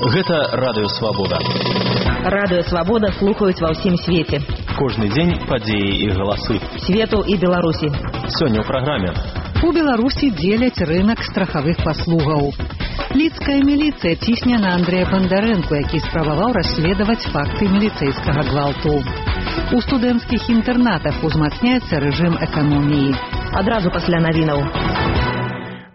Гэта Радыё Свабода. Радыё Свабода слухаюць ва ўсім свеце. Кожны дзень падзеі і галасы. Свету і Беларусі. Сёння ў праграме. У Беларусі дзеляць рынак страхавых паслугаў. Лідская міліцыя цісне на Андрэя Бандарэнку, які спрабаваў расследаваць факты міліцэйскага гвалту. У студэнцкіх інтэрнатах узмацняецца рэжым эканоміі. Адразу пасля навінаў.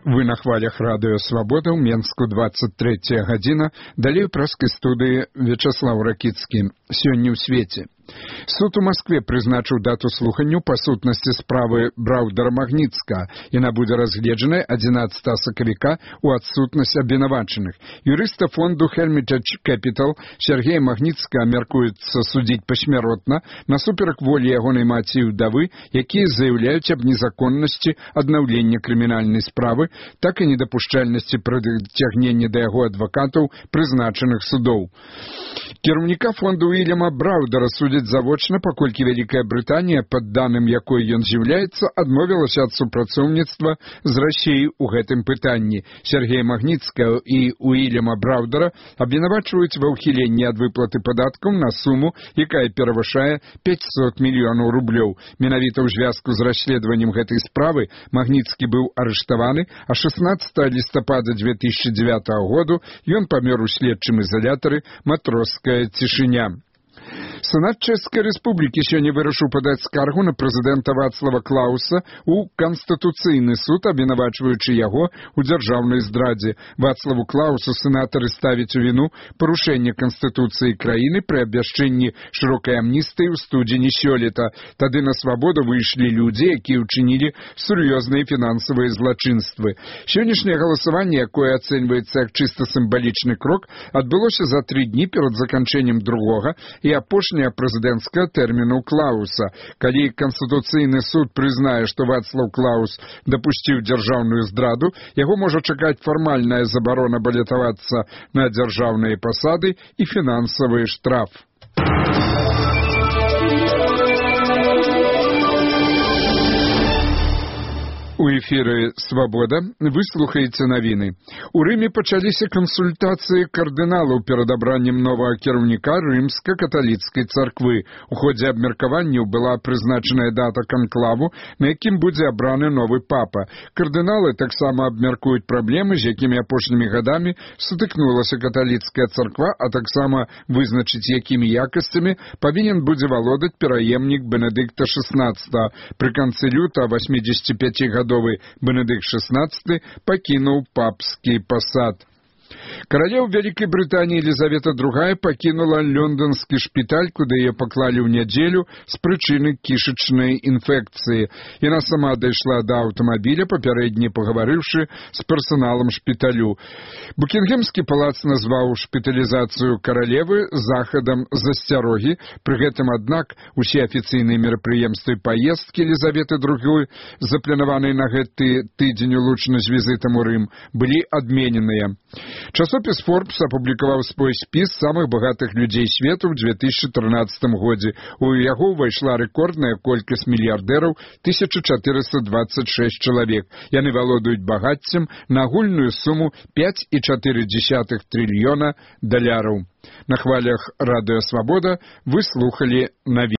Вы на хвалях Радыё Свабода ў Менску 23 гадзіна. Далей у праскай студыі Вячаслав Ракіцкі. Сёння ў свеце. Суд у Маскве прызначыў дату слуханню па сутнасці справы Браўдара Магніцкага. Яна будзе разгледжаная 11 сакавіка ў адсутнасць абвінавачаных. Юрыста фонду Hermitage Capital Сергея Магніцкага мяркуецца судзіць пасмяротна насуперак волі ягонай маці і ўдавы, якія заяўляюць аб незаконнасці аднаўлення крымінальнай справы, так і недапушчальнасці прыцягнення да яго адвакатаў прызначаных судоў. Кіраўніка фонду Уільяма Браўдара судзяць завочна, паколькі Вялікая Брытанія, пад даным якой ён з'яўляецца, адмовілася ад супрацоўніцтва з Расіяй у гэтым пытанні. Сергея Магніцкага і Уільяма Браўдара абвінавачваюць ва ўхіленні ад выплаты падаткаў на суму, якая перавышае 500 мільёнаў рублёў. Менавіта ў звязку з расследаваннем гэтай справы Магніцкі быў арыштаваны, а 16 лістапада 2009 году ён памёр у следчым изолятары «Матроская цішыня». Сенат Чэшскай Рэспублікі сёння вырашыў падаць скаргу на прэзідэнта Вацлава Клауса ў Канстытуцыйны суд, абвінавачваючы яго ў дзяржаўнай здрадзе. Вацлаву Клаусу сенатары ставяць у віну парушэнне Канстытуцыі краіны пры абвяшчэнні шырокай амністыі ў студзені сёлета. Тады на свабоду выйшлі людзі, якія ўчынілі сур'ёзныя фінансавыя злачынствы. Сённяшняе галасаванне, якое ацэньваецца як чыста сімвалічны крок, адбылося за 3 дні перад заканчэннем другога і апошняга прэзідэнцкага тэрміну Клауса. Калі Канстытуцыйны суд прызнае, што Вацлаў Клаус дапусціў дзяржаўную здраду, яго можа чакаць фармальная забарона балятавацца на дзяржаўныя пасады і фінансавы штраф. У эфіры «Свабода» вы слухаеце навіны. У Рыме пачаліся кансультацыі кардыналаў перад абраннем новага кіраўніка рымска-каталіцкай царквы. У ходзе абмеркаванняў была прызначаная дата канклаву, на якім будзе абраны новы папа. Кардыналы таксама абмяркуюць праблемы, з якімі апошнімі гадамі сутыкнулася каталіцкая царква, а таксама вызначыць, якімі якасцямі павінен будзе валодаць пераемнік Бенедыкта XVI. Пры канцы люта 85 гадовы Бенедыкт XVI пакінуў папскі пасад. Каралеў Вялікай Брытаніі Елізавета II пакінула лонданскі шпіталь, куды яе паклалі ў нядзелю з прычыны кішачнай інфекцыі. Яна сама дайшла да аўтамабіля, папярэдне пагаварыўшы з персаналам шпіталю. Букінгемскі палац назваў шпіталізацыю каралевы захадам засцярогі. Пры гэтым, аднак, усе афіцыйныя мерапрыемствы паездкі Елізаветы II, запланаваныя на гэты тыдзень улучна з візітам у Рым, былі адмененыя. Часопіс Forbes апублікаваў свой спіс самых багатых людзей свету ў 2013 годзе. У яго ўвайшла рэкордная колькасць мільярдэраў 1426 чалавек. Яны валодаюць багаццем на агульную суму 5,4 трыльёна даляраў. На хвалях Радыё Свабода вы слухалі навіны.